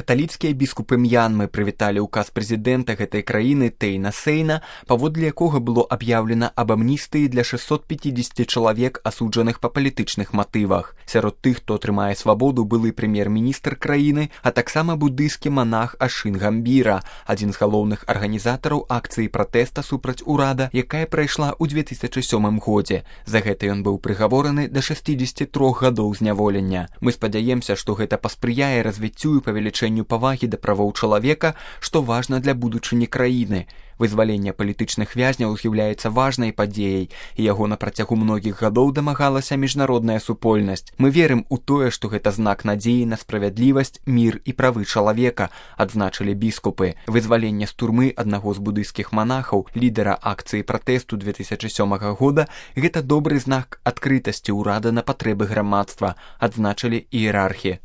Каталіцкія біскупы М'янмы прывіталі ўказ прэзідэнта гэтай краіны Тэйна Сейна, паводле якога было аб'яўлена аб амністыі для 650 чалавек, асуджаных па палітычных матывах. Сярод тых, хто атрымае свабоду, былы прэм'ер-міністр краіны, а таксама буддыйскі манах Ашын Гамбіра, адзін з галоўных арганізатараў акцыі пратэста супраць урада, якая прайшла ў 2007 годзе. За гэта ён быў прыгавораны да 63 гадоў зняволення. Мы спадзяемся, што гэта паспрыяе развіццю і павелічэнню павагі да правоў чалавека, што важна для будучыні краіны. Вызваленне палітычных вязняў з'яўляецца важнай падзеяй, і яго на працягу многіх гадоў дамагалася міжнародная супольнасць. Мы верым у тое, што гэта знак надзеі на справядлівасць, мір і правы чалавека, адзначылі біскупы. Вызваленне з турмы аднаго з буддыйскіх манахаў, лідара акцыі пратэсту 2007 года, гэта добры знак адкрытасці ўрада на патрэбы грамадства, адзначылі іерархі.